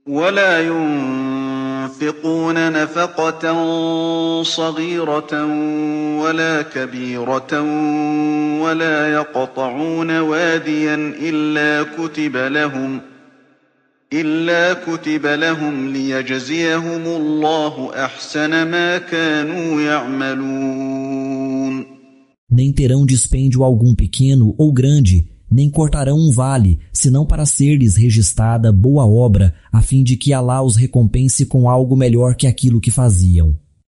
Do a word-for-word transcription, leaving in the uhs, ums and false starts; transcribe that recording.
ولا ينفقون نفقة صغيرة ولا كبيرة ولا يقطعون واديا إلا كتب لهم إلا كتب لهم ليجزيهم الله أحسن ما كانوا يعملون. Nem terão dispêndio algum pequeno ou grande, nem cortarão um vale, senão para ser-lhes registrada boa obra, a fim de que Alá os recompense com algo melhor que aquilo que faziam.